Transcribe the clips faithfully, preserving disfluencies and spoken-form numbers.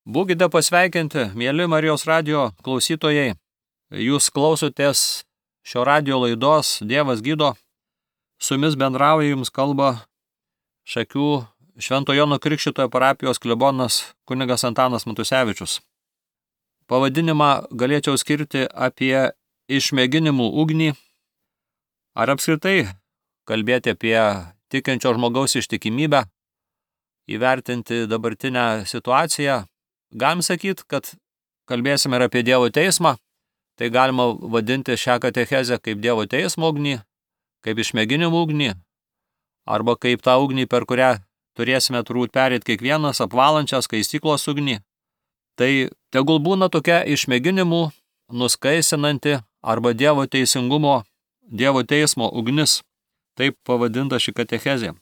Būkite pasveikinti, mėly Marijos radijo klausytojai. Jūs klausotės šio radijo laidos Dievas gydo. Su jumis bendrauja, jums kalba Šakių Švento Jono Krikštytojo parapijos klebonas kunigas Antanas Matusevičius. Pavadinimą galėčiau skirti apie išmėginimų ugnį, ar apskritai kalbėti apie tikinčio žmogaus ištikimybę, įvertinti dabartinę situaciją. Galim sakyti, kad kalbėsime ir apie Dievo teismą, tai galima vadinti šią katechezę kaip Dievo teismo ugnį, kaip išmėginimų ugnį, arba kaip tą ugnį, per kurią turėsime turbūt perėti kiekvienas, apvalančią skaistyklos ugnį. Tai tegul būna tokia išmėginimų, nuskaisinanti arba Dievo teisingumo, Dievo teismo ugnis, taip pavadinta ši katechezė.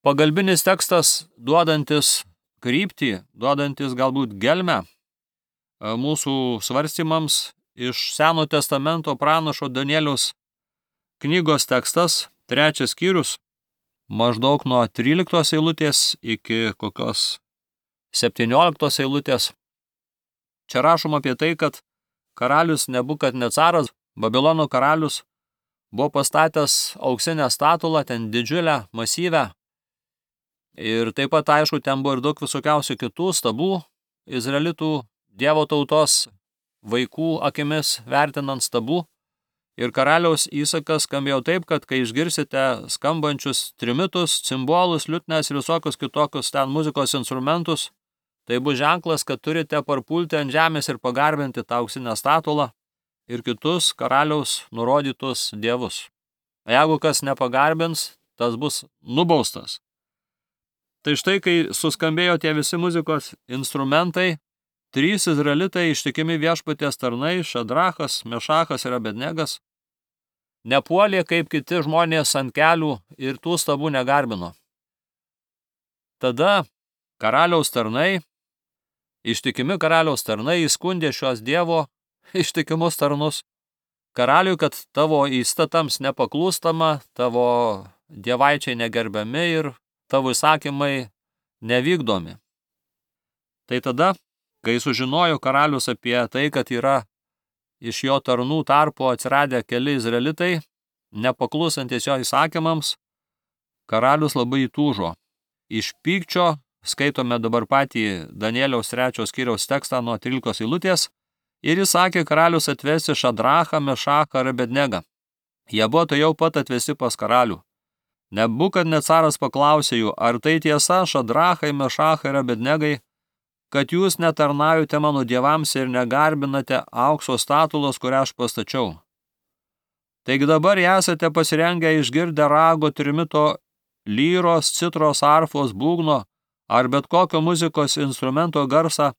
Pagalbinis tekstas duodantis kryptį, duodantis galbūt gelmę mūsų svarstymams iš Seno testamento pranašo Danieliaus knygos tekstas, trečias skyrius, maždaug nuo tryliktos eilutės iki kokios septynioliktos eilutės. Čia rašoma apie tai, kad karalius Nebukadnecaras, Babilono karalius, buvo pastatęs auksinę statulą, ten didžiulę, masyvę. Ir taip pat, aišku, ten buvo ir daug visokiausių kitų stabų, izraelitų Dievo tautos vaikų akimis vertinant stabų. Ir karaliaus įsakas skambėjo taip, kad kai išgirsite skambančius trimitus, cimbolus, liutnes ir visokius kitokius ten muzikos instrumentus, tai bus ženklas, kad turite parpulti ant žemės ir pagarbinti tą auksinę statulą ir kitus karaliaus nurodytus dievus. Jeigu kas nepagarbins, tas bus nubaustas. Tai štai, kai suskambėjo tie visi muzikos instrumentai, trys izraelitai ištikimi viešpaties tarnai, Šadrachas, Mešachas ir Abednegas, nepuolė kaip kiti žmonės ant kelių ir tų stabų negarbino. Tada karaliaus tarnai, ištikimi karaliaus tarnai įskundė šios Dievo ištikimus tarnus karaliui, kad tavo įstatams nepaklūstama, tavo dievaičiai negerbiami ir tavo įsakymai nevykdomi. Tai tada, kai sužinojo karalius apie tai, kad yra iš jo tarnų tarpo atsiradę keli izraelitai, nepaklusantis jo įsakymams, karalius labai įtūžo. Iš pykčio skaitome dabar patį Danieliaus trečios skyriaus tekstą nuo tryliktos eilutės, ir jis sakė karalius atvesti Šadrachą, Mešachą ir Abednegą. Jie buvo tai jau pat atvesti pas karalių. Nebukadnecaras paklausė jų, ar tai tiesa, Šadrachai, Mešachai ir Abednegai, kad jūs netarnaujate mano dievams ir negarbinate aukso statulos, kurią aš pastačiau. Taigi dabar esate pasirengę išgirdę rago, trimito, lyros, citros, arfos, būgno ar bet kokio muzikos instrumento garsą,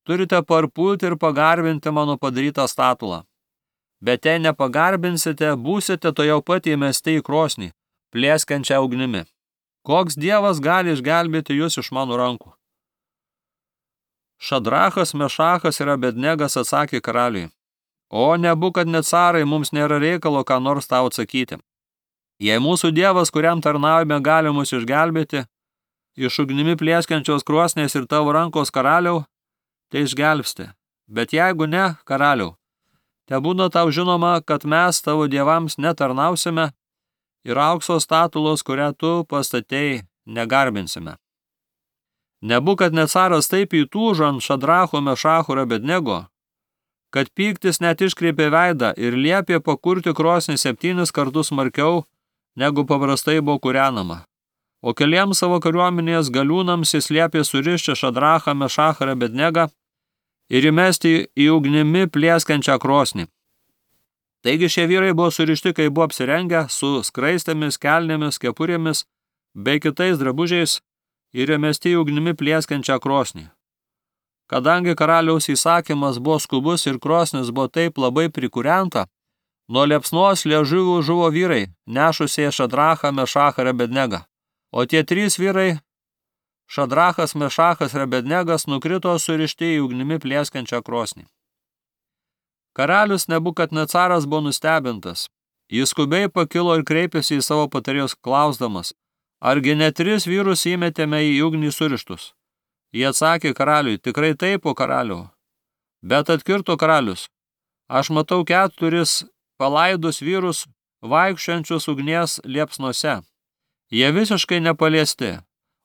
turite parpulti ir pagarbinti mano padarytą statulą. Bet jei nepagarbinsite, būsite to jau pat įmesti į krosnį, plėskančią ugnimi. Koks dievas gali išgelbėti jūs iš mano rankų? Šadrachas, Mešachas ir Abednegas atsakė karaliui, o Nebukadnecarai, mums nėra reikalo ką nors tau atsakyti. Jei mūsų dievas, kuriam tarnaujame, gali mus išgelbėti iš ugnimi plėskančios krosnės ir tavo rankos karaliau, tai išgelbsti. Bet jeigu ne, karaliau, tebūna tau žinoma, kad mes tavo dievams netarnausime ir aukso statulos, kurią tu pastatei, negarbinsime. Nebukadnecaras taip įtūžo ant Šadracho, Mešacho ir Abednego, kad pyktis net iškreipė veidą ir liepė pakurti krosnį septynis kartus smarkiau, negu paprastai buvo kūrenama. O keliems savo kariuomenės galiūnams jis liepė surišti Šadrachą, Mešachą ir Abednegą ir įmesti į ugnimi plėskančią krosnį. Taigi šie vyrai buvo surišti, kai buvo apsirengę, su skraistėmis, kelnėmis, kepurėmis bei kitais drabužiais ir įmesti į ugnimi plėskančią krosnį. Kadangi karaliaus įsakymas buvo skubus ir krosnis buvo taip labai prikūrenta, nuo liepsnos liežuvių žuvo vyrai, nešusie Šadrachą, Mešachą ir Abednegą. O tie trys vyrai, Šadrachas, Mešachas ir Abednegas, nukrito surišti į ugnimi plėskančią krosnį. Karalius Nebukadnecaras buvo nustebintas. Jis skubiai pakilo ir kreipėsi į savo patarėjus klausdamas, argi ne tris vyrus įmetėme į ugnį surištus? Jie atsakė karaliui, tikrai taip, o karaliau. Bet atkirto karalius, aš matau keturis palaidus vyrus vaikščiančius ugnies liepsnose. Jie visiškai nepaliesti,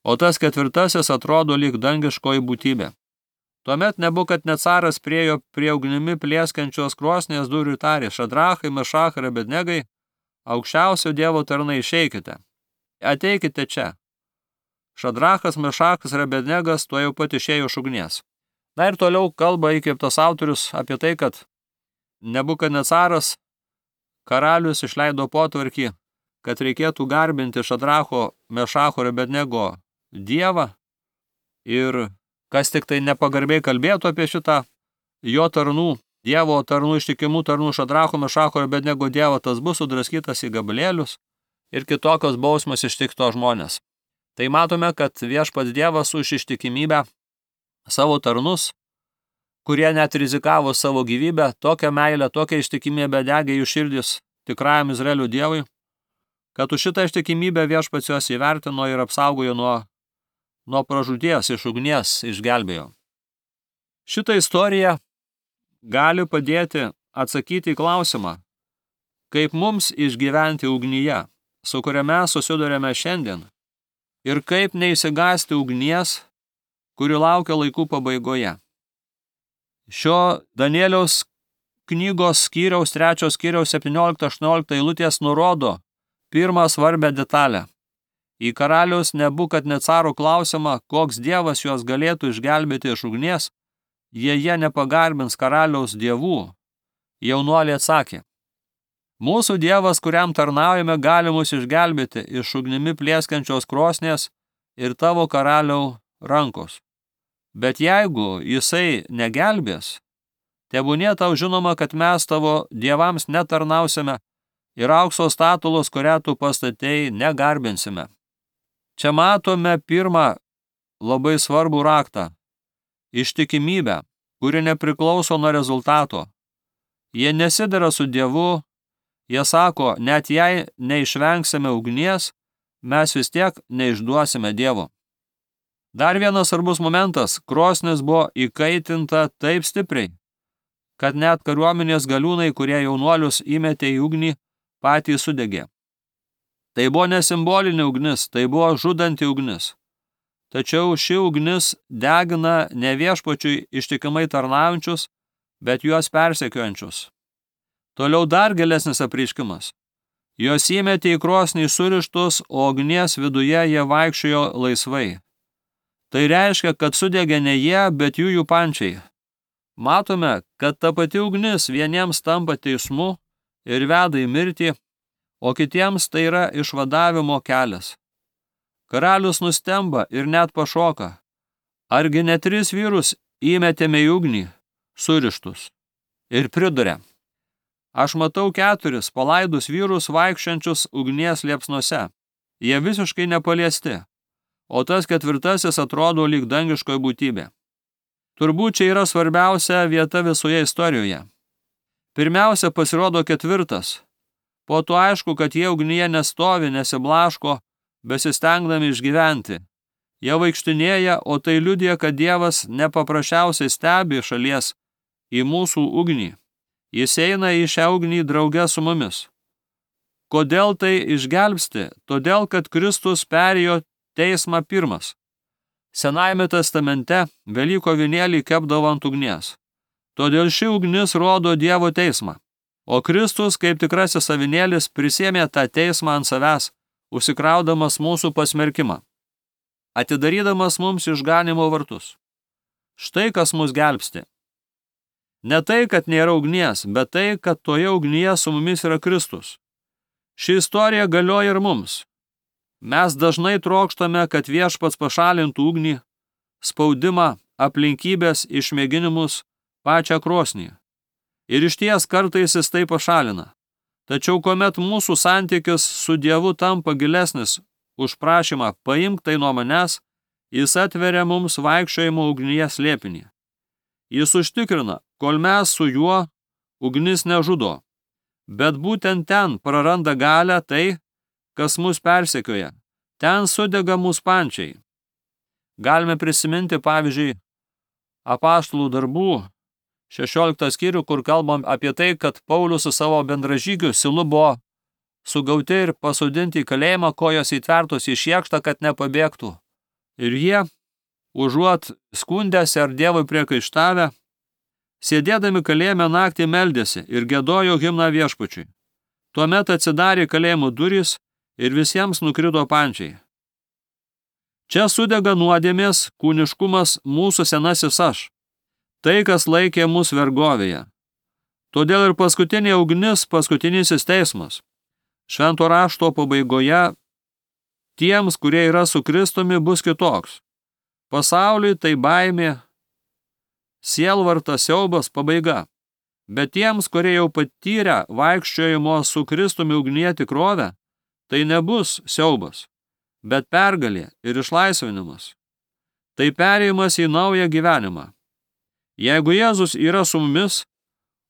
o tas ketvirtasis atrodo lyg dangiškoji būtybė. Tuomet Nebukadnecaras priejo prie ugnimi plėskančios krosnies durų ir tarė, Šadrachai, Mešachai ir Abednegai, aukščiausio Dievo tarnai, išeikite. Ateikite čia. Šadrachas, Mešachas ir Abednegas tuo jau pat išėjo iš ugnies. Na ir toliau kalba įkvėptas autorius apie tai, kad Nebukadnecaras karalius išleido potvarkį, kad reikėtų garbinti Šadracho, Mešacho ir Abednego Dievą ir kas tik tai nepagarbiai kalbėtų apie šitą jo tarnų, Dievo tarnų, ištikimų tarnų Šadracho, Mešacho ir Abednego Dievą, tas bus sudraskytas į gabalėlius ir kitokios bausmės ištikto žmonės. Tai matome, kad viešpats Dievas už ištikimybę savo tarnus, kurie net rizikavo savo gyvybę, tokią meilę, tokią ištikimybę degė jų širdis tikrajam Izraelio Dievui, kad už šitą ištikimybę viešpats juos įvertino ir apsaugojo nuo nuo pražūties, iš ugnies išgelbėjo. Šitą istoriją gali padėti atsakyti į klausimą, kaip mums išgyventi ugnyje, su kuria mes susidurėme šiandien, ir kaip neišsigąsti ugnies, kuri laukia laikų pabaigoje. Šio Danieliaus knygos skyriaus, trečios skyriaus septyniolikta aštuoniolikta eilutės nurodo pirmą svarbę detalę. Į karaliaus Nebukadnecaro klausimą, koks dievas juos galėtų išgelbėti iš ugnies, jei jie nepagarbins karaliaus dievų, jaunuoliai atsakė, mūsų dievas, kuriam tarnaujame, gali mus išgelbėti iš ugnimi plėskančios krosnės ir tavo karaliau rankos. Bet jeigu jisai negelbės, tebūnie tau žinoma, kad mes tavo dievams netarnausime ir aukso statulos, kurią tu pastatei, negarbinsime. Čia matome pirmą labai svarbų raktą – ištikimybę, kuri nepriklauso nuo rezultato. Jie nesidera su Dievu, jie sako, net jei neišvengsime ugnies, mes vis tiek neišduosime Dievo. Dar vienas svarbus momentas – krosnis buvo įkaitinta taip stipriai, kad net kariuomenės galiūnai, kurie jaunuolius įmetė į ugnį, patys sudegė. Tai buvo ne simbolinė ugnis, tai buvo žudanti ugnis. Tačiau ši ugnis degina ne viešpačiui ištikimai tarnaujančius, bet juos persekiojančius. Toliau dar gilesnis apreiškimas. Jos įmetė į krosnį surištus, o ugnies viduje jie vaikščiojo laisvai. Tai reiškia, kad sudegė ne jie, bet jų jų pančiai. Matome, kad ta pati ugnis vieniems tampa teismu ir veda į mirtį, o kitiems tai yra išvadavimo kelias. Karalius nustemba ir net pašoka. Argi ne tris vyrus įmetėme į ugnį, surištus, ir priduria. Aš matau keturis palaidus vyrus vaikščiančius ugnies liepsnose. Jie visiškai nepaliesti, o tas ketvirtasis atrodo lyg dangiškoji būtybė. Turbūt čia yra svarbiausia vieta visoje istorijoje. Pirmiausia pasirodo ketvirtas. Po to aišku, kad jie ugnyje nestovi, nesiblaško, besistengdami išgyventi. Jie vaikštinėja, o tai liudija, kad Dievas nepaprasčiausiai stebi šalies į mūsų ugnį. Jis eina į šią ugnį drauge su mumis. Kodėl tai išgelbsti? Todėl, kad Kristus perėjo teismą pirmas. Senajame testamente Velyko avinėlį kepdavo ant ugnies. Todėl ši ugnis rodo Dievo teismą. O Kristus, kaip tikrasis avinėlis, prisėmė tą teismą ant savęs, užsikraudamas mūsų pasmerkimą, atidarydamas mums išganimo vartus. Štai kas mus gelbsti. Ne tai, kad nėra ugnies, bet tai, kad toje ugnyje su mumis yra Kristus. Ši istorija galioja ir mums. Mes dažnai trokštame, kad viešpats pašalintų ugnį, spaudimą, aplinkybės, išmėginimus, pačią krosnį. Ir išties kartais jis tai pašalina. Tačiau kuomet mūsų santykis su Dievu tampa gilesnis už prašymą paimk tai nuo manęs, jis atveria mums vaikščiojimo ugnyje slėpinį. Jis užtikrina, kol mes su juo ugnis nežudo, bet būtent ten praranda galią tai, kas mus persekioja, ten sudega mūsų pančiai. Galime prisiminti, pavyzdžiui, Apaštalų darbų šešioliktą skyrių, kur kalbam apie tai, kad Paulius su savo bendražygiu Silu buvo sugauti ir pasodinti į kalėjimą, kojos įtvertos į šiekštą, kad nepabėgtų. Ir jie, užuot skundęsi ar Dievui priekaištavę, sėdėdami kalėjime naktį meldėsi ir giedojo himną Viešpačiui. Tuomet atsidarė kalėjimo durys ir visiems nukrito pančiai. Čia sudega nuodėmės, kūniškumas, mūsų senasis aš, tai, kas laikė mus vergovėje. Todėl ir paskutinė ugnis, paskutinysis teismas. Švento rašto pabaigoje tiems, kurie yra su Kristumi, bus kitoks. Pasauliui tai baimė, sielvartas, siaubas, pabaiga. Bet tiems, kurie jau patyrę vaikščiojimo su Kristumi ugnyje tikrovę, tai nebus siaubas, bet pergalė ir išlaisvinimas. Tai perėjimas į naują gyvenimą. Jeigu Jėzus yra su mumis,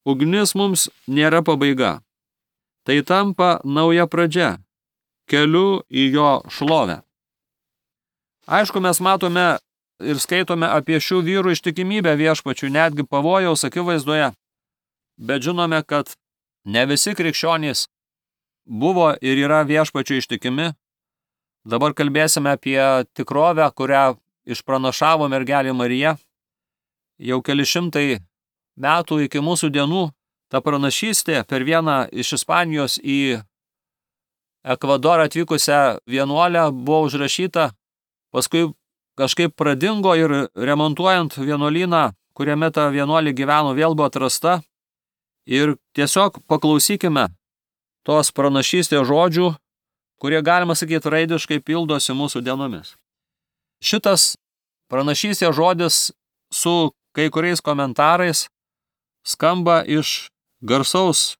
ugnis mums nėra pabaiga. Tai tampa nauja pradžia, keliu į jo šlovę. Aišku, mes matome ir skaitome apie šių vyrų ištikimybę Viešpačiui, netgi pavojaus akivaizdoje, bet žinome, kad ne visi krikščionys buvo ir yra Viešpačiui ištikimi. Dabar kalbėsime apie tikrovę, kurią išpranašavo mergelė Marija. Jau keli šimtai metų iki mūsų dienų ta pranašystė per vieną iš Ispanijos į Ekvadorą atvykusią vienuolę buvo užrašyta, paskui kažkaip pradingo ir remontuojant vienuolyną, kuriame ta vienuolė gyveno, vėl buvo atrasta. Ir tiesiog paklausykime tos pranašystės žodžių, kurie, galima sakyti, raidiškai pildosi mūsų dienomis. Šitas pranašystės žodis su kai kuriais komentarais skamba iš garsaus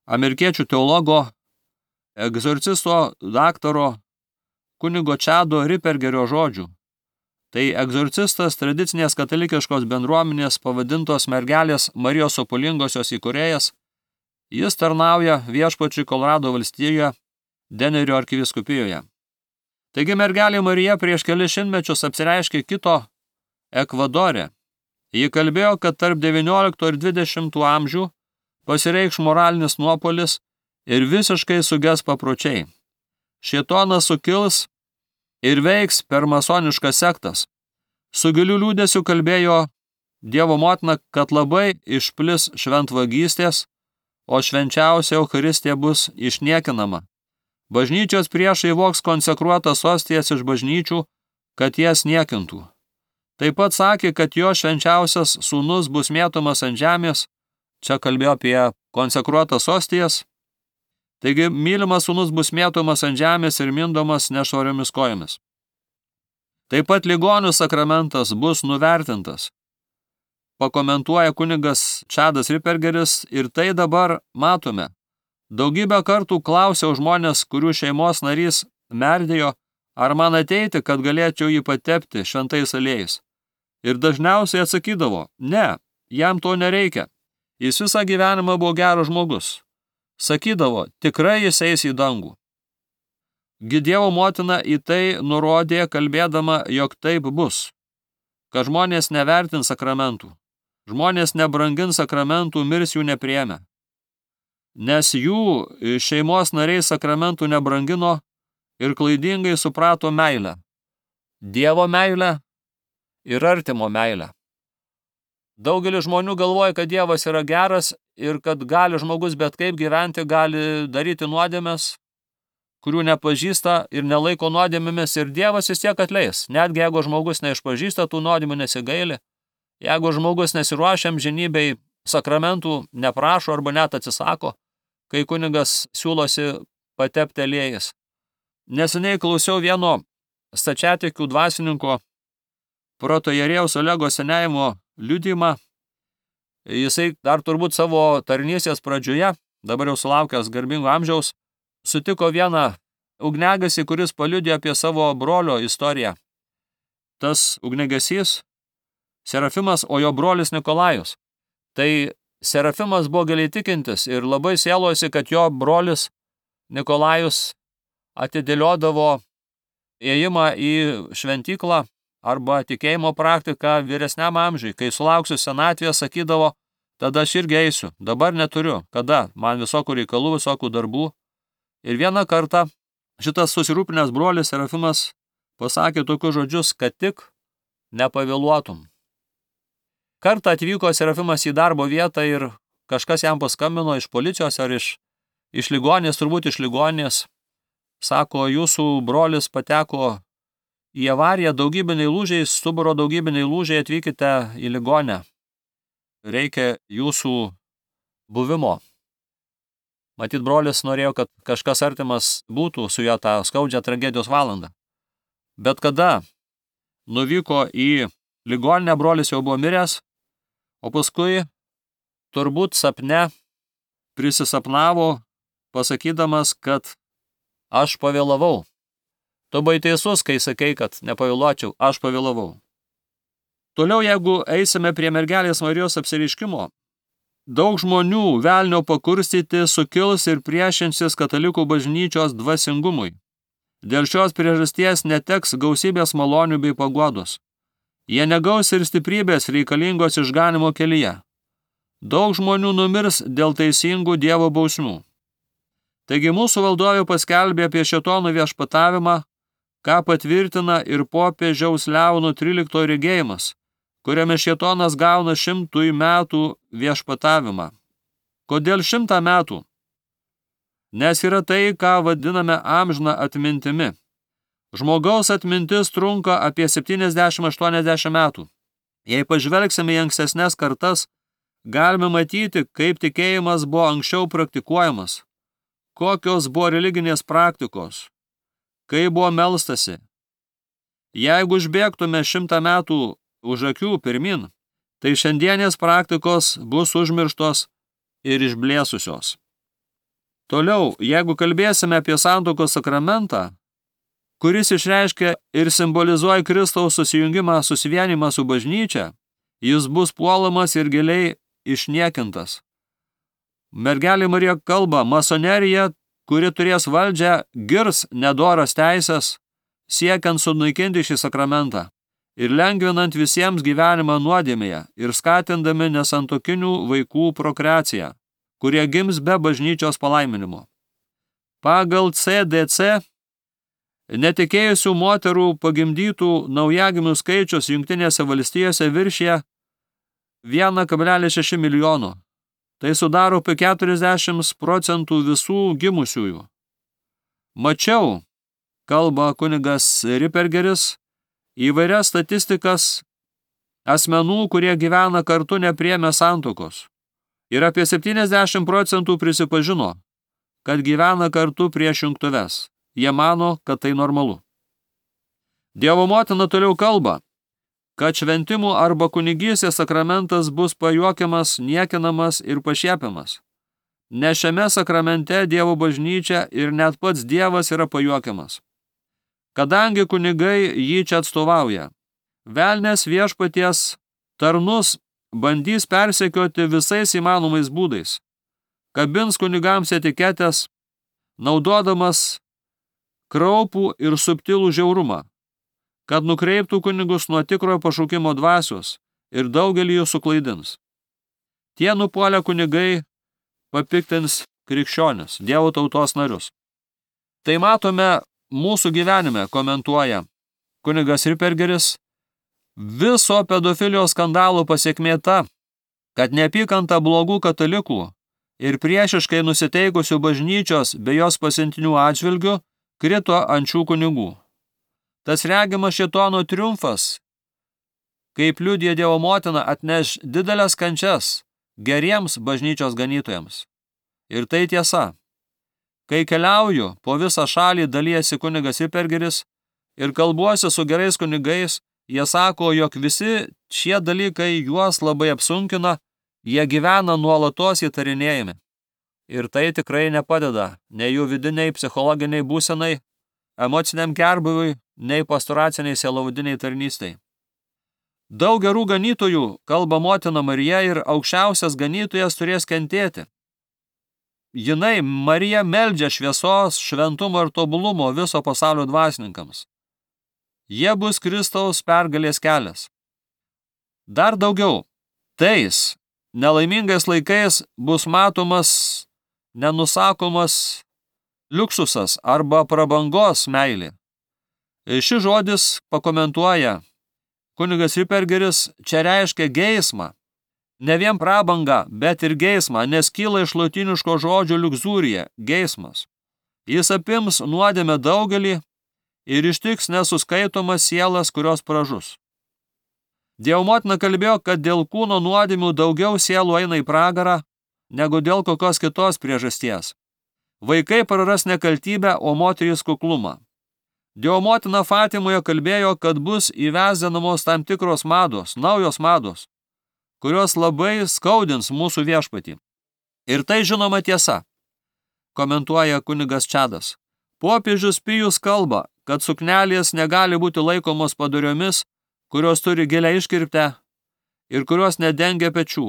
amerikiečių teologo, egzorcisto daktaro kunigo Čado Rippergerio žodžių. Tai egzorcistas tradicinės katalikiškos bendruomenės pavadintos mergelės Marijos Sopulingosios įkūrėjas. Jis tarnauja Viešpačiui Kolorado valstijoje, Denerio arkivyskupijoje. Taigi mergelė Marija prieš kelis šimtmečius apsireiškė kito Ekvadore. Ji kalbėjo, kad tarp devyniolikto ir dvidešimto amžių pasireikš moralinis nuopolis ir visiškai suges papročiai. Šėtonas sukils ir veiks per masoniškas sektas. Su giliu liūdesiu kalbėjo Dievo motina, kad labai išplis šventvagystės, o švenčiausia Eucharistija bus išniekinama. Bažnyčios priešai voks konsekruotas ostijas iš bažnyčių, kad jas niekintų. Taip pat sakė, kad jo švenčiausias sūnus bus mėtomas ant žemės. Čia kalbėjo apie konsekruotas ostijas. Taigi, mylimas sūnus bus mėtomas ant žemės ir mindomas nešvariomis kojomis. Taip pat ligonių sakramentas bus nuvertintas. Pakomentuoja kunigas Čadas Rippergeris, ir tai dabar matome. Daugybę kartų klausiau žmonės, kurių šeimos narys merdėjo, ar man ateiti, kad galėčiau jį patepti šventais aliejais. Ir dažniausiai atsakydavo, ne, jam to nereikia. Jis visą gyvenimą buvo geras žmogus. Sakydavo, tikrai jis eis į dangų. Gi Dievo motina į tai nurodė, kalbėdama, jog taip bus, kad žmonės nevertins sakramentų. Žmonės nebrangins sakramentų, mirs jų nepriėmę. Nes jų šeimos nariai sakramentų nebrangino ir klaidingai suprato meilę. Dievo meilę ir artimo meilę. Daugelis žmonių galvoja, kad Dievas yra geras ir kad gali žmogus bet kaip gyventi, gali daryti nuodėmes, kurių nepažįsta ir nelaiko nuodėmėmis, ir Dievas vis tiek atleis. Netgi jeigu žmogus neišpažįsta tų nuodėmių, nesigaili, jeigu žmogus nesiruošia amžinybei, sakramentų neprašo arba net atsisako, kai kunigas siūlosi patepti aliejais. Neseniai klausiau vieno stačiatikių dvasininko protoierėjaus Olego Senėjimo liudijimą. Jisai dar turbūt savo tarnystės pradžioje, dabar jau sulaukęs garbingo amžiaus, sutiko vieną ugniagesį, kuris paliudijo apie savo brolio istoriją. Tas ugniagesys Serafimas, o jo brolis Nikolajus. Tai Serafimas buvo giliai tikintis ir labai sielosi, kad jo brolis Nikolajus atidėliodavo ėjimą į šventyklą arba tikėjimo praktika vyresniam amžiui, kai sulauksiu senatvės, sakydavo, tada aš irgi eisiu, dabar neturiu, kada, man visokių reikalų, visokių darbų. Ir vieną kartą šitas susirūpinęs brolis Serafimas pasakė tokius žodžius, kad tik nepavėluotum. Kartą atvyko Serafimas į darbo vietą ir kažkas jam paskambino iš policijos ar iš, iš ligoninės, turbūt iš ligoninės. Sako, jūsų brolis pateko į avariją, daugybiniai lūžiai, stuburo daugybiniai lūžiai, atvykite į ligonę. Reikia jūsų buvimo. Matyt, brolis norėjo, kad kažkas artimas būtų su juo tą skaudžią tragedijos valandą. Bet kada nuvyko į ligoninę, brolis jau buvo miręs, o paskui turbūt sapne prisisapnavo, pasakydamas, kad aš pavėlavau. Tu buvai teisus, kai sakei, kad nepavėluočiau, aš pavėlavau. Toliau, jeigu eisime prie mergelės Marijos apsireiškimo, daug žmonių velnio pakurstyti sukils ir priešinsis katalikų bažnyčios dvasingumui. Dėl šios priežasties neteks gausybės malonių bei paguodos. Jie negaus ir stiprybės reikalingos išganimo kelyje. Daug žmonių numirs dėl teisingų Dievo bausmių. Taigi mūsų valdovė paskelbė apie šėtonų viešpatavimą, ką patvirtina ir popiežiaus Leono tryliktojo regėjimas, kuriame šėtonas gauna šimtui metų viešpatavimą. Kodėl šimtą metų? Nes yra tai, ką vadiname amžiną atmintimi. Žmogaus atmintis trunka apie septyniasdešimt aštuoniasdešimt metų. Jei pažvelgsime į ankstesnes kartas, galime matyti, kaip tikėjimas buvo anksčiau praktikuojamas, kokios buvo religinės praktikos, kaip buvo melstasi. Jeigu užbėgtume šimtą metų už akių pirmin, tai šiandienės praktikos bus užmirštos ir išblėsusios. Toliau, jeigu kalbėsime apie santuokos sakramentą, kuris išreiškia ir simbolizuoja Kristaus susijungimą, susivienimą su bažnyčia, jis bus puolamas ir giliai išniekintas. Mergelė Marija kalba, masonerija, kuri turės valdžią, girs nedoras teisės, siekiant sunaikinti šį sakramentą ir lengvinant visiems gyvenimą nuodėmėje ir skatindami nesantokinių vaikų prokreaciją, kurie gims be bažnyčios palaiminimo. Pagal C D C netikėjusių moterų pagimdytų naujagimių skaičius Jungtinėse valstijose viršija vieną kablelis šeši milijono. Tai sudaro apie keturiasdešimt procentų visų gimusiųjų. Mačiau, kalba kunigas Rippergeris, įvairias statistikas asmenų, kurie gyvena kartu nepriėmę santuokos. Ir apie septyniasdešimt procentų prisipažino, kad gyvena kartu prieš jungtuves. Jie mano, kad tai normalu. Dievo motina toliau kalba, kad šventimų arba kunigystės sakramentas bus pajuokiamas, niekinamas ir pašiepiamas. Nes šiame sakramente Dievo bažnyčia ir net pats Dievas yra pajuokiamas. Kadangi kunigai jį čia atstovauja, velnės viešpaties tarnus bandys persekioti visais įmanomais būdais, kabins kunigams etiketės, naudodamas kraupų ir subtilų žiaurumą, kad nukreiptų kunigus nuo tikrojo pašaukimo dvasios ir daugelį jų suklaidins. Tie nupuolę kunigai papiktins krikščionis, Dievo tautos narius. Tai matome mūsų gyvenime, komentuoja kunigas Rippergeris, viso pedofilijos skandalo pasekmė ta, kad neapykanta blogų katalikų ir priešiškai nusiteikusių bažnyčios bei jos pasiuntinių atžvilgių krito ant šių kunigų. Tas regimas šėtono triumfas, kaip liudija Dievo motina, atneš didelės kančias geriems bažnyčios ganytojams. Ir tai tiesa. Kai keliauju po visą šalį, dalijasi kunigas Rippergeris ir kalbuosi su gerais kunigais, jie sako, jog visi šie dalykai juos labai apsunkina, jie gyvena nuolatos įtarinėjami. Ir tai tikrai nepadeda nei jų vidiniai psichologiniai būsenai, emociniam gerbūviui, nei pastoraciniai sielovadiniai tarnystei. Daug gerų ganytojų, kalba motina Marija, ir aukščiausias ganytojas turės kentėti. Jinai, Marija, meldžia šviesos, šventumo ir tobulumo viso pasaulio dvasininkams. Jie bus Kristaus pergalės kelias. Dar daugiau, tais nelaimingais laikais bus matomas nenusakomas liuksusas arba prabangos meilė. Šis žodis pakomentuoja kunigas Rippergeris, čia reiškia geismą. Ne vien prabanga, bet ir geismą, nes kyla iš lotiniško žodžio liuxurija, geismas. Jis apims nuodėmę daugelį ir ištiks nesuskaitomas sielas, kurios pražus. Dievo motina kalbėjo, kad dėl kūno nuodėmių daugiau sielų eina į pragarą, negu dėl kokios kitos priežasties. Vaikai praras nekaltybę, o moterys kuklumą. Dievo motina Fatimoje kalbėjo, kad bus įvesdinamos tam tikros mados, naujos mados, kurios labai skaudins mūsų viešpatį. Ir tai žinoma tiesa, komentuoja kunigas Čadas. Popiežius Pijus kalba, kad suknelės negali būti laikomos padoriomis, kurios turi gilią iškirptę ir kurios nedengia pečių,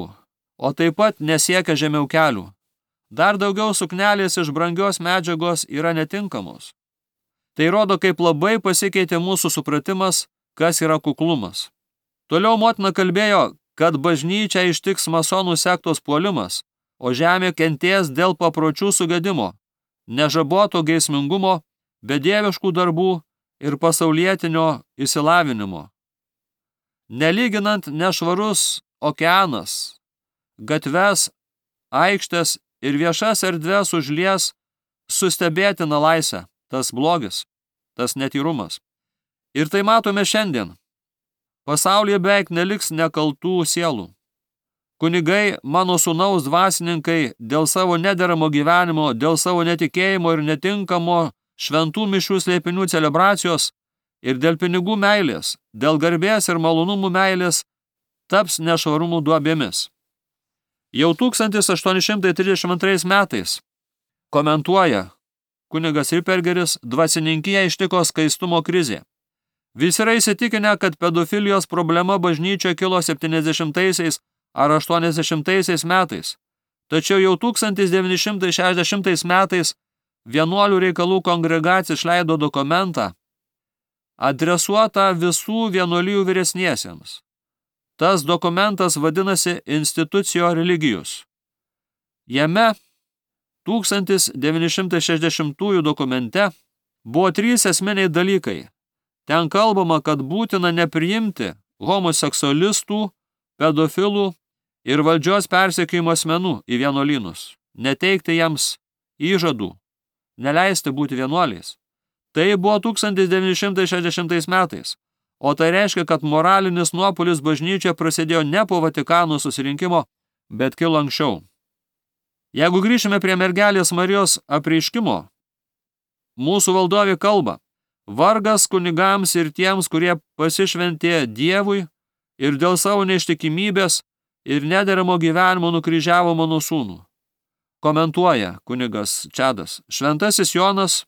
o taip pat nesiekia žemiau kelių. Dar daugiau suknelės iš brangios medžiagos yra netinkamos. Tai rodo, kaip labai pasikeitė mūsų supratimas, kas yra kuklumas. Toliau motina kalbėjo, kad bažnyčia ištiks masonų sektos puolimas, o žemė kentės dėl papročių sugadimo, nežaboto geismingumo, bedieviškų darbų ir pasaulietinio išsilavinimo. Nelyginant nešvarus okeanas, gatves, aikštės ir viešas erdves užlies sustebėtina laisvė, tas blogis, tas netyrumas. Ir tai matome šiandien. Pasaulyje beveik neliks nekaltų sielų. Kunigai, mano sūnaus dvasininkai, dėl savo nederamo gyvenimo, dėl savo netikėjimo ir netinkamo šventų mišių slėpinių celebracijos ir dėl pinigų meilės, dėl garbės ir malonumų meilės, taps nešvarumų duobėmis. Jau tūkstantis aštuoni šimtai trisdešimt antrais metais, komentuoja kunigas Rippergeris, dvasininkiją ištiko skaistumo krizė. Visi yra įsitikinę, kad pedofilijos problema bažnyčioje kilo septyniasdešimtaisiais ar aštuoniasdešimtaisiais metais. Tačiau jau tūkstantis devyni šimtai šešiasdešimtais metais vienuolių reikalų kongregacija išleido dokumentą, adresuotą visų vienuolijų vyresniesiems. Tas dokumentas vadinasi Institutio Religijus. Jame tūkstantis devyni šimtai šešiasdešimtųjų dokumente buvo trys esminiai dalykai. Ten kalbama, kad būtina nepriimti homoseksualistų, pedofilų ir valdžios persekiojimo asmenų į vienuolynus, neteikti jiems įžadų, neleisti būti vienuoliais. Tai buvo tūkstantis devyni šimtai šešiasdešimtais metais, o tai reiškia, kad moralinis nuopuolis bažnyčioje prasidėjo ne po Vatikano susirinkimo, bet kilo anksčiau. Jeigu grįžime prie mergelės Marijos apreiškimo, mūsų valdovė kalba, vargas kunigams ir tiems, kurie pasišventė Dievui ir dėl savo neištikimybės ir nederamo gyvenimo nukryžiavo mano sūnų. Komentuoja kunigas Čadas. Šventasis Jonas,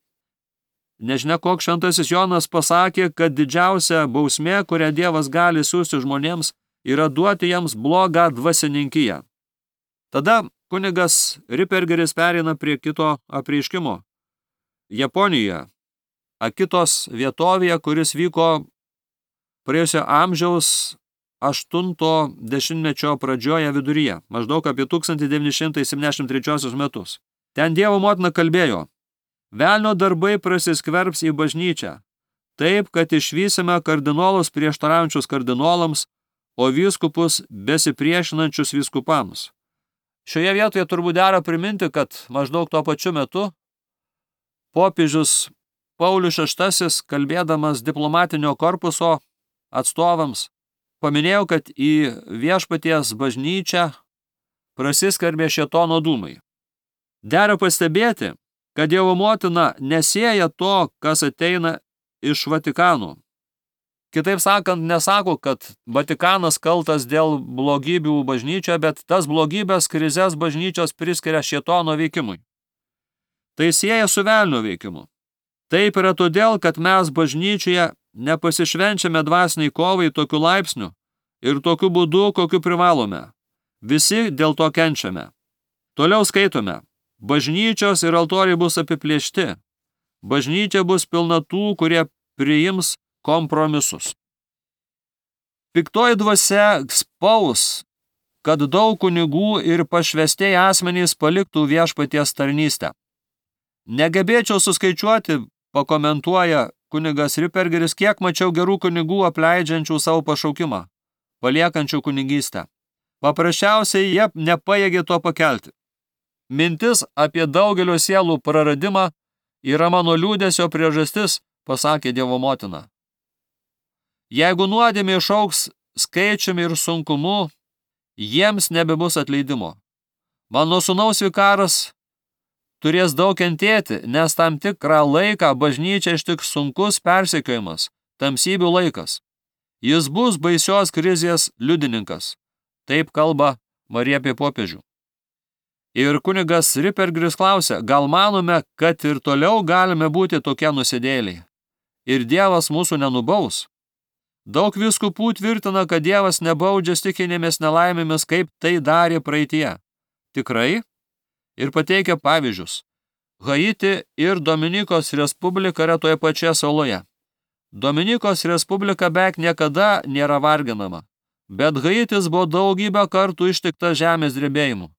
nežinia koks šventasis Jonas, pasakė, kad didžiausia bausmė, kurią Dievas gali siųsti žmonėms, yra duoti jiems blogą dvasininkiją. Tada kunigas Rippergeris pereina prie kito apreiškimo. Japonijoje, Akitos vietovėje, kuris vyko praėjusio amžiaus aštunto dešimtmečio pradžioje viduryje, maždaug apie tūkstantis devyni šimtai septyniasdešimt trečiuosius metus. Ten Dievo motina kalbėjo, velnio darbai prasiskverbs į bažnyčią, taip, kad išvysime kardinolus prieštaraujančius kardinolams, o vyskupus besipriešinančius vyskupams. Šioje vietoje turbūt dera priminti, kad maždaug tuo pačiu metu popiežius Paulius šeštasis, kalbėdamas diplomatinio korpuso atstovams, paminėjo, kad į viešpaties bažnyčią prasiskverbė šėtono dūmai. Dera pastebėti, kad Dievo motina nesieja to, kas ateina iš Vatikano. Kitaip sakant, nesako, kad Vatikanas kaltas dėl blogybių bažnyčioje, bet tas blogybės krizės bažnyčios priskiria šėtono veikimui. Tai sieja su velnio veikimu. Taip yra todėl, kad mes bažnyčioje nepasišvenčiame dvasiniai kovai tokiu laipsniu ir tokiu būdu, kokiu privalome. Visi dėl to kenčiame. Toliau skaitome. Bažnyčios ir altoriai bus apiplėšti. Bažnyčia bus pilna tų, kurie priims kompromisus. Piktoji dvasia spaus, kad daug kunigų ir pašvestieji asmenys paliktų viešpaties tarnystę. Negebėčiau suskaičiuoti, pakomentuoja kunigas Rippergeris, kiek mačiau gerų kunigų apleidžiančių savo pašaukimą, paliekančių kunigystę. Paprasčiausiai jie nepajėgė to pakelti. Mintis apie daugelio sielų praradimą yra mano liūdesio priežastis, pasakė Dievo motina. Jeigu nuodėmė išaugs skaičiumi ir sunkumu, jiems nebebus atleidimo. Mano sūnaus vikaras turės daug kentėti, nes tam tikrą laiką bažnyčia ištiks sunkus persekiojimas, tamsybių laikas. Jis bus baisios krizės liudininkas. Taip kalba Marija apie popiežių. Ir kunigas Rippergeris klausia, gal manome, kad ir toliau galime būti tokie nusidėliai. Ir Dievas mūsų nenubaus. Daug vyskupų tvirtina, kad Dievas nebaudžia stichinėmis nelaimėmis, kaip tai darė praeitie. Tikrai? Ir pateikia pavyzdžius. Haiti ir Dominikos Respublika yra toje pačioje saloje. Dominikos Respublika beveik niekada nėra varginama, bet Haitis buvo daugybę kartų ištikta žemės drebėjimų.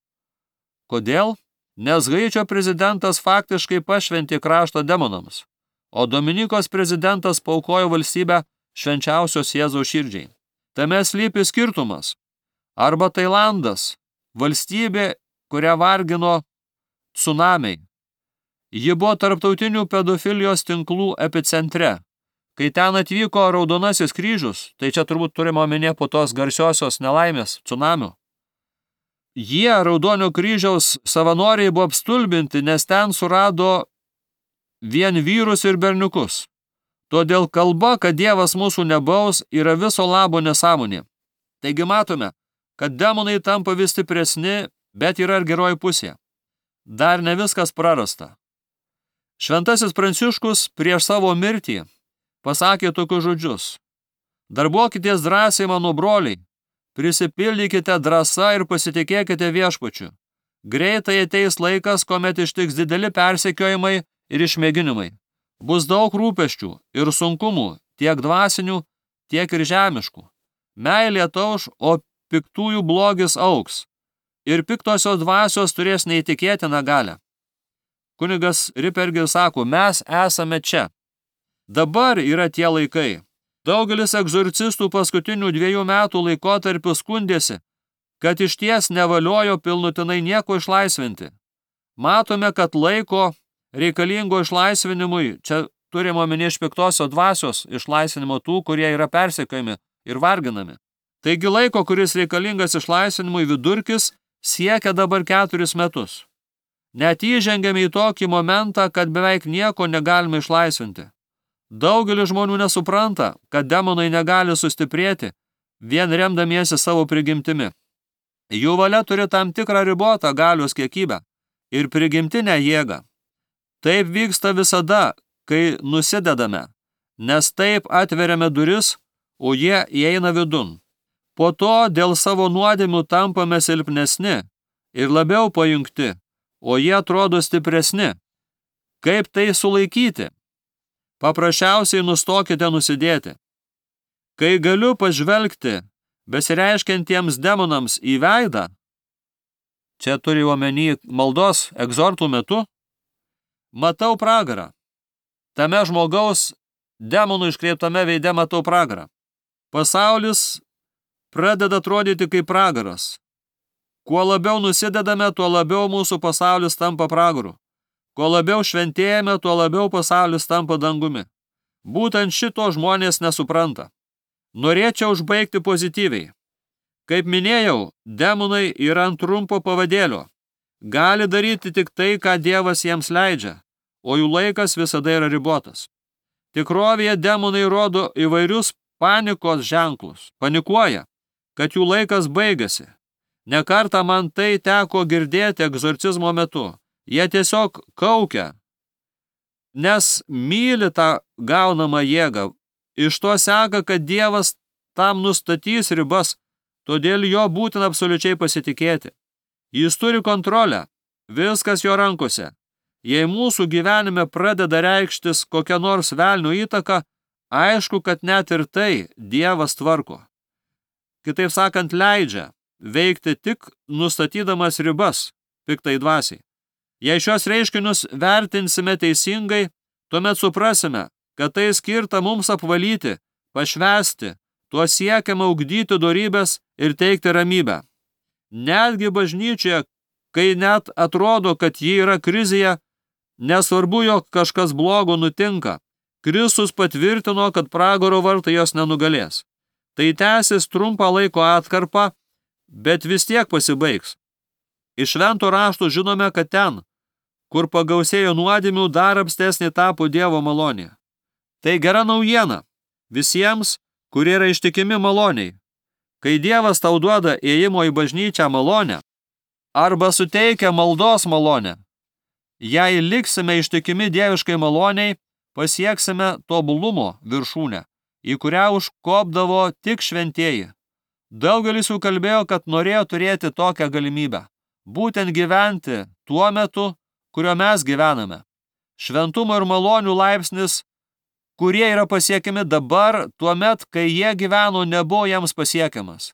Kodėl? Nes Haičio prezidentas faktiškai pašventė kraštą demonams, o Dominikos prezidentas paaukojo valstybę švenčiausios Jėzaus širdžiai. Tame slypi skirtumas. Arba Tailandas, valstybė, kurią vargino tsunamiai. Ji buvo tarptautinių pedofilijos tinklų epicentre. Kai ten atvyko Raudonasis kryžius, tai čia turbūt turime omenyje po tos garsiosios nelaimės tsunamių. Jie, Raudonio kryžiaus savanoriai, buvo apstulbinti, nes ten surado vien vyrus ir berniukus. Todėl kalba, kad Dievas mūsų nebaus, yra viso labo nesąmonė. Taigi matome, kad demonai tampa vis stipresni, bet yra ir geroji pusė. Dar ne viskas prarasta. Šventasis Pranciškus prieš savo mirtį pasakė tokius žodžius. Darbuokitės drąsiai, mano broliai, prisipildykite drąsa ir pasitikėkite viešpačiu. Greitai ateis laikas, kuomet ištiks dideli persekiojimai ir išmėginimai. Bus daug rūpesčių ir sunkumų, tiek dvasinių, tiek ir žemiškų. Meilė tauš, o piktųjų blogis augs. Ir piktosios dvasios turės neįtikėtiną galią. Kunigas Rippergeris sako, mes esame čia. Dabar yra tie laikai. Daugelis egzorcistų paskutinių dviejų metų laikotarpių skundėsi, kad išties nevaliojo pilnutinai nieko išlaisvinti. Matome, kad laiko reikalingo išlaisvinimui, čia turime omenyje iš piktosios dvasios išlaisvinimo tų, kurie yra persekiojami ir varginami. Taigi laiko, kuris reikalingas išlaisvinimui vidurkis, siekia dabar keturis metus. Net įžengėme į tokį momentą, kad beveik nieko negalime išlaisvinti. Daugelis žmonių nesupranta, kad demonai negali sustiprėti, vien remdamiesi savo prigimtimi. Jų valia turi tam tikrą ribotą galios kiekybę ir prigimtinę jėgą. Taip vyksta visada, kai nusidedame, nes taip atveriame duris, o jie įeina vidun. Po to dėl savo nuodėmių tampame silpnesni ir labiau pajungti, o jie atrodo stipresni. Kaip tai sulaikyti? Paprasčiausiai nustokite nusidėti. Kai galiu pažvelgti besireiškiantiems demonams į veidą, čia turi omeny maldos egzortų metu, matau pragarą. Tame žmogaus demonų iškreiptame veide matau pragarą. Pasaulis pradeda atrodyti kaip pragaras. Kuo labiau nusidedame, tuo labiau mūsų pasaulis tampa pragaru. Kuo labiau šventėjame, tuo labiau pasaulis tampa dangumi. Būtent šito žmonės nesupranta. Norėčiau užbaigti pozityviai. Kaip minėjau, demonai yra ant trumpo pavadėlio. Gali daryti tik tai, ką Dievas jiems leidžia, o jų laikas visada yra ribotas. Tikrovėje demonai rodo įvairius panikos ženklus. Panikuoja, kad jų laikas baigėsi. Ne kartą man tai teko girdėti egzorcizmo metu. Jie tiesiog kaukia, nes myli tą gaunamą jėgą. Iš to seka, kad Dievas tam nustatys ribas, todėl jo būtina absoliučiai pasitikėti. Jis turi kontrolę, viskas jo rankose. Jei mūsų gyvenime pradeda reikštis kokia nors velnio įtaka, Aišku, kad net ir tai Dievas tvarko. Kitaip sakant, leidžia veikti tik nustatydamas ribas piktai dvasiai. Jei šios reiškinius vertinsime teisingai, tuomet suprasime, kad tai skirta mums apvalyti, pašvęsti, tuo siekiama ugdyti dorybes ir teikti ramybę. Netgi bažnyčioje, kai net atrodo, kad ji yra krizėje, nesvarbu, jog kažkas blogo nutinka, Kristus patvirtino, kad pragaro vartai jos nenugalės. Tai tęsis trumpą laiko atkarpą, bet vis tiek pasibaigs. Iš švento rašto žinome, kad ten, kur pagausėjo nuodėmių, dar apstesnė tapo Dievo malonė. Tai gera naujiena visiems, kurie yra ištikimi maloniai. Kai Dievas tau duoda ėjimo į bažnyčią malonę arba suteikia maldos malonę, jei liksime ištikimi dieviškai maloniai, pasieksime tobulumo viršūnę, į kurią užkopdavo tik šventieji. Daugelis jų kalbėjo, kad norėjo turėti tokią galimybę, būtent gyventi tuo metu, kurio mes gyvename. Šventumo ir malonių laipsnis, kurie yra pasiekiami dabar, tuomet, kai jie gyveno, nebuvo jiems pasiekiamas.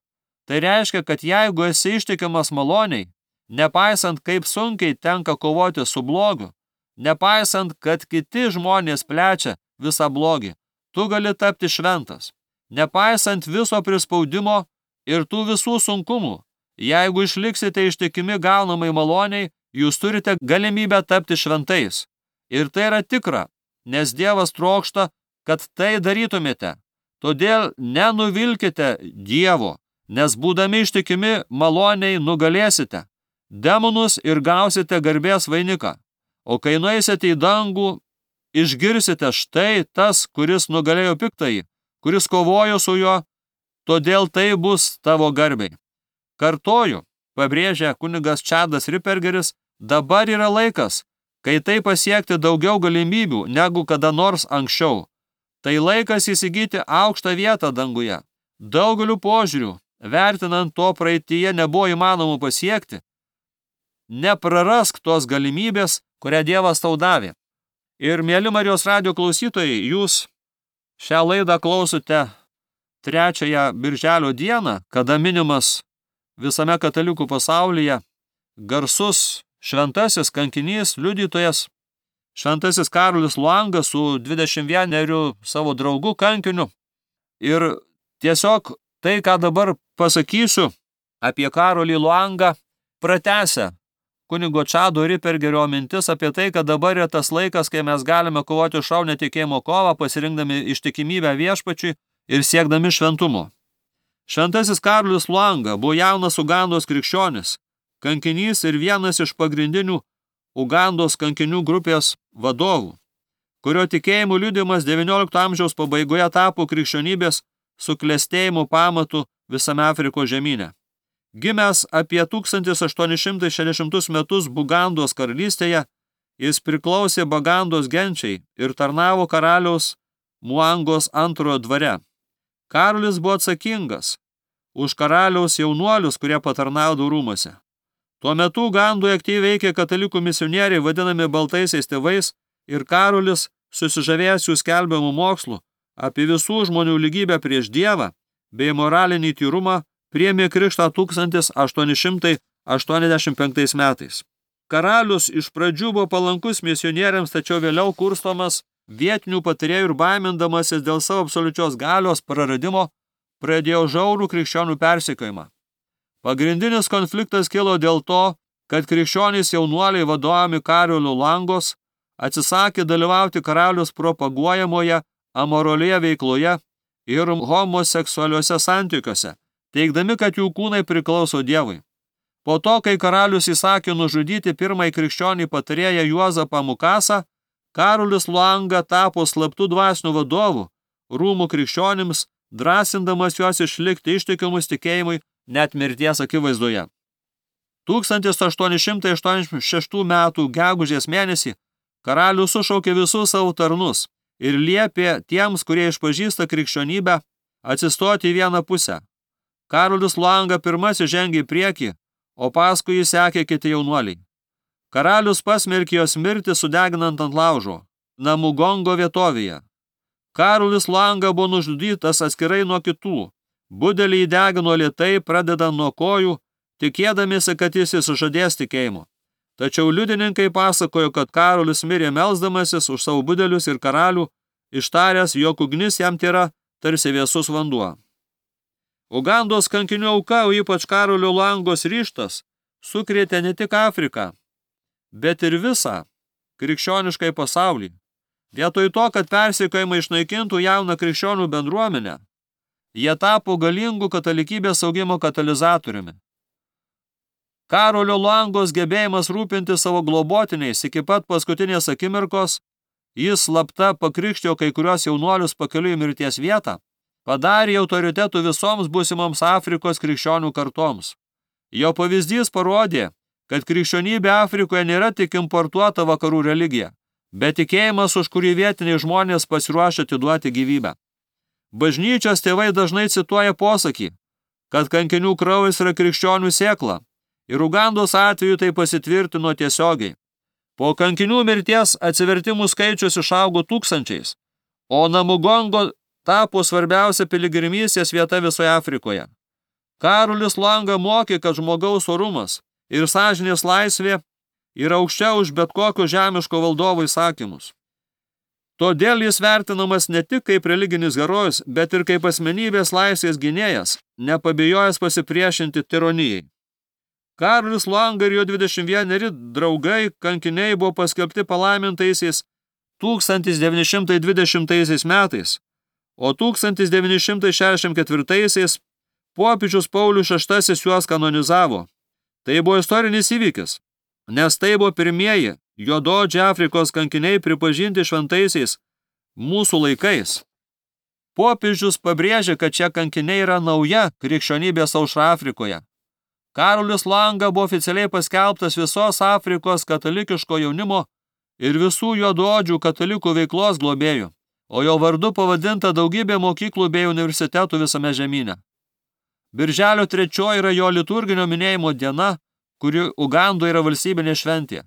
Tai reiškia, kad jeigu esi ištikimas maloniai, nepaisant kaip sunkiai tenka kovoti su blogiu, nepaisant, kad kiti žmonės plečia visą blogį, tu gali tapti šventas. Nepaisant viso prispaudimo ir tų visų sunkumų, jeigu išliksite ištikimi gaunamai maloniai, jūs turite galimybę tapti šventais. Ir tai yra tikra, nes Dievas trokšta, kad tai darytumėte. Todėl nenuvilkite Dievo, nes būdami ištikimi maloniai nugalėsite demonus ir gausite garbės vainiką. O kai nueisite į dangų, išgirsite štai tas, kuris nugalėjo piktąjį, kuris kovojo su juo, todėl tai bus tavo garbei. Kartoju, pabrėžia kunigas Čadas Ripergeris, dabar yra laikas, kai tai pasiekti daugiau galimybių negu kada nors anksčiau. Tai laikas įsigyti aukštą vietą danguje. Daugeliu požiūrių, vertinant to praeityje nebuvo įmanoma pasiekti, neprarask tos galimybės, kurią Dievas tau davė. Ir, mieli Marijos radijo klausytojai, jūs šią laidą klausote trečiąją birželio dieną, kada minimas visame katalikų pasaulyje garsus šventasis kankinys, liudytojas, šventasis Karolis Luanga su dvidešimt vieneriu savo draugu kankiniu. Ir tiesiog tai, ką dabar pasakysiu apie Karolį Luangą, pratęsia kunigo Čado Ripergerio mintis apie tai, kad dabar yra tas laikas, kai mes galime kovoti šaunę tikėjimo kovą, pasirinkdami ištikimybę viešpačiui ir siekdami šventumo. Šventasis Karolis Luanga buvo jaunas Ugandos krikščionis, kankinys ir vienas iš pagrindinių Ugandos kankinių grupės vadovų, kurio tikėjimų liudijimas devyniolikto amžiaus pabaigoje tapo krikščionybės suklestėjimo pamatu visame Afrikos žemyne. Gimęs apie tūkstantis aštuoni šimtai šešiasdešimtus metus Bugandos karalystėje, jis priklausė Bagandos genčiai ir tarnavo karaliaus Muangos antrojo dvare. Karolis buvo atsakingas už karaliaus jaunuolius, kurie patarnaudavo rūmuose. Tuo metu Ugandoje aktyviai veikė katalikų misionieriai vadinami baltaisiais tėvais ir Karolis, susižavėjęs jų skelbiamų mokslų apie visų žmonių lygybę prieš Dievą bei moralinį tyrumą, priėmė krikštą tūkstantis aštuoni šimtai aštuoniasdešimt penktais metais. Karalius iš pradžių buvo palankus misionieriams, tačiau vėliau kurstomas vietinių patarėjų ir baimindamasis dėl savo absoliučios galios praradimo, pradėjo žiaurų krikščionių persekiojimą. Pagrindinis konfliktas kilo dėl to, kad krikščionys jaunuoliai vadovaujami Karolio Luangos atsisakė dalyvauti karalius propaguojamoje amoralioje veikloje ir homoseksualiuose santykiuose, teigdami, kad jų kūnai priklauso Dievui. Po to, kai karalius įsakė nužudyti pirmąjį krikščionį patarėją Juozapą Mukasą, Karolis Luanga tapo slaptų dvasinių vadovų rūmų krikščionims, drąsindamas juos išlikti ištikimus tikėjimui net mirties akivaizdoje. tūkstantis aštuoni šimtai aštuoniasdešimt šeštų metų gegužės mėnesį karalius sušaukė visus savo tarnus ir liepė tiems, kurie išpažįsta krikščionybę, atsistoti į vieną pusę. Karolis Luanga pirmasis žengė į priekį, o paskui jį sekė kiti jaunuoliai. Karalius pasmerkė jos mirtį sudeginant ant laužo, Namugongo vietovėje. Karolis Langa buvo nužudytas atskirai nuo kitų. Budelį įdegino lėtai, pradedant nuo kojų, tikėdamiesi, kad jis išsižadės tikėjimo. Tačiau liudininkai pasakojo, kad Karolis mirė melsdamasis už savo budelius ir karalių, ištaręs, jog ugnis jam tėra tarsi vėsus vanduo. Ugandos kankinių auka, o ypač Karolio Langos ryžtas, sukrėtė ne tik Afriką, bet ir visą krikščioniškai pasaulį. Vietoj to, kad persekiojimai išnaikintų jauną krikščionių bendruomenę, jie tapo galingų katalikybės augimo katalizatoriumi. Karolio Langos gebėjimas rūpinti savo globotiniais iki pat paskutinės akimirkos, jis slapta pakrikštijo kai kurios jaunuolius pakeliui į mirties vietą, padarė autoritetų visoms būsimoms Afrikos krikščionių kartoms. Jo pavyzdys parodė, kad krikščionybė Afrikoje nėra tik importuota vakarų religija, bet tikėjimas, už kurį vietiniai žmonės pasiruošę atiduoti gyvybę. Bažnyčios tėvai dažnai cituoja posakį, kad kankinių kraujas yra krikščionių sėkla, ir Ugandos atveju tai pasitvirtino tiesiogiai. Po kankinių mirties atsivertimų skaičius išaugo tūkstančiais, o Namugongo tapo svarbiausia piligrimystės vieta visoje Afrikoje. Karolis Langa mokė, kad žmogaus orumas ir sąžinės laisvė yra aukščiau už bet kokius žemiško valdovo įsakymus. Todėl jis vertinamas ne tik kaip religinis herojus, bet ir kaip asmenybės laisvės gynėjas, nepabijojęs pasipriešinti tironijai. Karolis Langa ir jo dvidešimt vieneri draugai kankiniai buvo paskelbti palaimintaisiais tūkstantis devyni šimtai dvidešimtaisiais metais, o tūkstantis devyni šimtai šešiasdešimt ketvirtaisiais popiežius Paulius šeštasis juos kanonizavo. Tai buvo istorinis įvykis, nes tai buvo pirmieji juodaodžiai Afrikos kankiniai pripažinti šventaisiais mūsų laikais. Popiežius pabrėžė, kad šie kankiniai yra nauja krikščionybės aušra Afrikoje. Karolis Langa buvo oficialiai paskelbtas visos Afrikos katalikiško jaunimo ir visų juodaodžių katalikų veiklos globėjų, o jo vardu pavadinta daugybė mokyklų bei universitetų visame žemyne. Birželio trečioji yra jo liturginio minėjimo diena, kuri Ugandoje yra valstybinė šventė.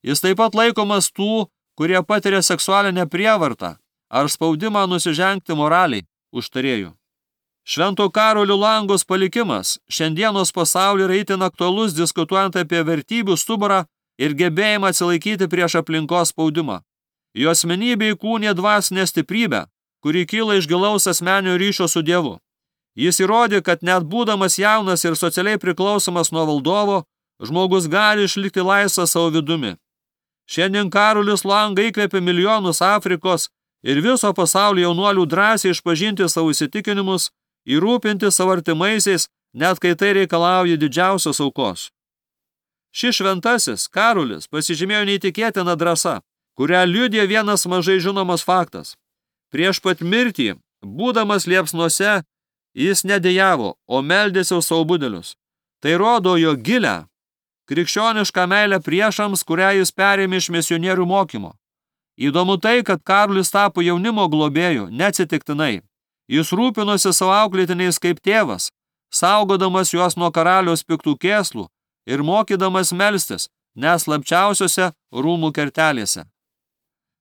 Jis taip pat laikomas tų, kurie patiria seksualinę prievartą ar spaudimą nusižengti moraliai užtarėjų. Švento Karolio Langos palikimas šiandienos pasaulyje yra itin aktualus diskutuojant apie vertybių stuburą ir gebėjimą atsilaikyti prieš aplinkos spaudimą. Jo asmenybė įkūnė dvasinę stiprybę, kuri kyla iš gilaus asmeninio ryšio su Dievu. Jis įrodė, kad net būdamas jaunas ir socialiai priklausomas nuo valdovo, žmogus gali išlikti laisvas savo vidumi. Šiandien Karolis Langa įkvėpė milijonus Afrikos ir viso pasaulio jaunuolių drąsiai išpažinti savo įsitikinimus, įrūpinti savo artimaisiais, net kai tai reikalauja didžiausios aukos. Šis šventasis Karolis pasižymėjo neįtikėtiną drąsą, kurią liudija vienas mažai žinomas faktas. Prieš pat mirtį, būdamas liepsnose, jis nedėjavo, o meldėsi už savo budelius. Tai rodo jo gilę, krikščionišką meilę priešams, kurią jis perėmė iš misionierių mokymo. Įdomu tai, kad Karolis tapo jaunimo globėju neatsitiktinai. Jis rūpinosi savo auklėtiniais kaip tėvas, saugodamas juos nuo karaliaus piktų kėslų ir mokydamas melstis net slapčiausiose rūmų kertelėse.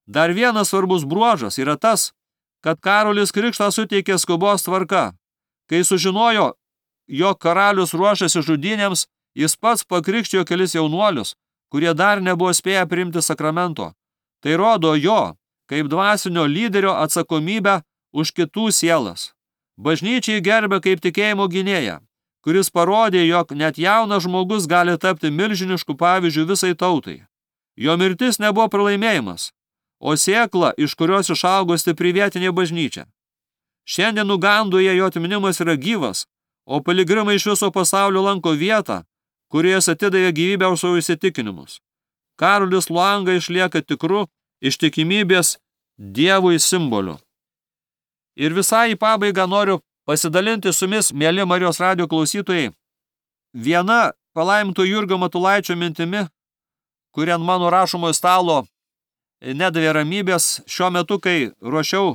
Dar vienas svarbus bruožas yra tas, kad Karolis krikštą suteikė skubos tvarka. Kai sužinojo, jog karalius ruošiasi žudynėms, jis pats pakrikštijo kelis jaunuolius, kurie dar nebuvo spėję priimti sakramento. Tai rodo jo, kaip dvasinio lyderio atsakomybę už kitų sielas. Bažnyčiai gerbė kaip tikėjimo gynėją, kuris parodė, jog net jaunas žmogus gali tapti milžinišku pavyzdžiu visai tautai. Jo mirtis nebuvo pralaimėjimas, o sėkla, iš kurios išaugo stipri vietinė bažnyčia. Šiandien Ugandoje jo atminimas yra gyvas, o piligrimai iš viso pasaulio lanko vietą, kurie atidavė gyvybę už savo įsitikinimus. Karolis Langa išlieka tikru ištikimybės Dievui simboliu. Ir visai į pabaigą noriu pasidalinti su jumis, mieli Marijos radijo klausytojai, viena palaiminto Jurgio Matulaičio mintimi, kuri ant mano rašomojo stalo nedavė ramybės šiuo metu, kai ruošiau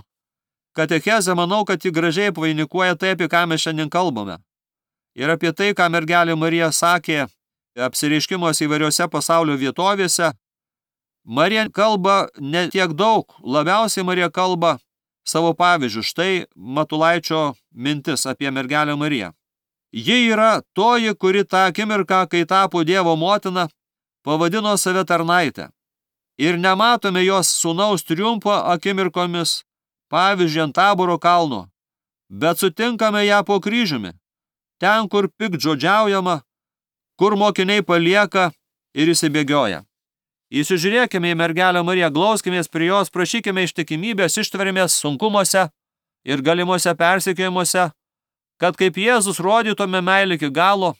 katechezę, manau, kad ji gražiai apvainikuoja tai, apie ką mes šiandien kalbame. Ir apie tai, ką mergelė Marija sakė apsireiškimuose įvairiose pasaulio vietovėse. Marija kalba ne tiek daug, labiausiai Marija kalba savo pavyzdžių. Štai Matulaičio mintis apie mergelę Mariją. Ji yra toji, kuri tą akimirką, kai tapo Dievo motina, pavadino save tarnaitę. Ir nematome jos sūnaus triumfo akimirkomis, pavyzdžiui, ant Taboro kalno, bet sutinkame ją po kryžiumi, ten, kur piktžodžiaujama, kur mokiniai palieka ir įsibėgioja. Įsižiūrėkime į mergelę Mariją, glauskimės prie jos, prašykime ištikimybės, ištverimės sunkumuose ir galimuose persekiojimuose, kad kaip Jėzus rodytume meilę iki galo,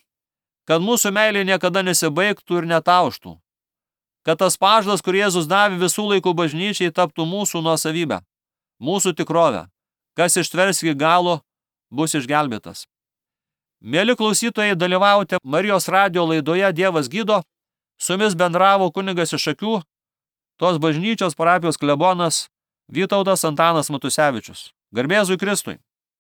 kad mūsų meilė niekada nesibaigtų ir netauštų, kad tas pažadas, kur Jėzus davė visų laikų bažnyčiai, taptų mūsų nuosavybę, mūsų tikrovę. Kas ištvers iki galo, bus išgelbėtas. Mėly klausytojai, dalyvaujate Marijos radijo laidoje Dievas gydo. Su jumis bendravo kunigas iš Šakių, tos bažnyčios parapijos klebonas Vytautas Antanas Matusevičius. Garbė Jėzui Kristui.